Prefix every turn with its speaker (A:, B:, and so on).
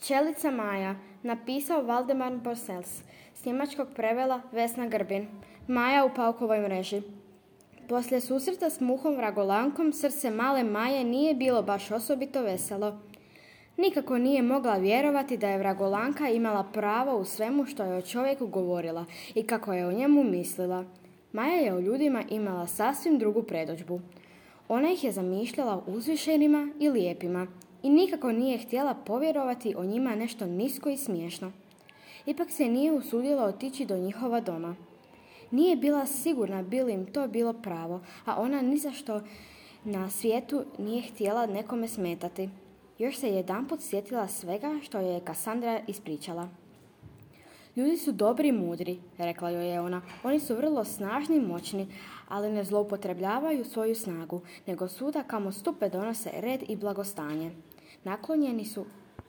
A: Pčelica Maja, napisao Valdemar Borsels, s njemačkog prevela Vesna Grbin. Maja u paukovoj mreži. Poslije susreta s muhom vragolankom srce male Maje nije bilo baš osobito veselo. Nikako nije mogla vjerovati da je vragolanka imala pravo u svemu što je o čovjeku govorila i kako je o njemu mislila. Maja je o ljudima imala sasvim drugu predodžbu. Ona ih je zamišljala uzvišenima i lijepima i nikako nije htjela povjerovati o njima nešto nisko i smiješno. Ipak se nije usudila otići do njihova doma. Nije bila sigurna bi li im to bilo pravo, a ona ni za što na svijetu nije htjela nekome smetati. Još se jedanput sjetila svega što joj je Kasandra ispričala. Ljudi su dobri i mudri, rekla joj je ona. Oni su vrlo snažni i moćni, ali ne zloupotrebljavaju svoju snagu, nego svuda kamo stupe donose red i blagostanje. Naklonjeni su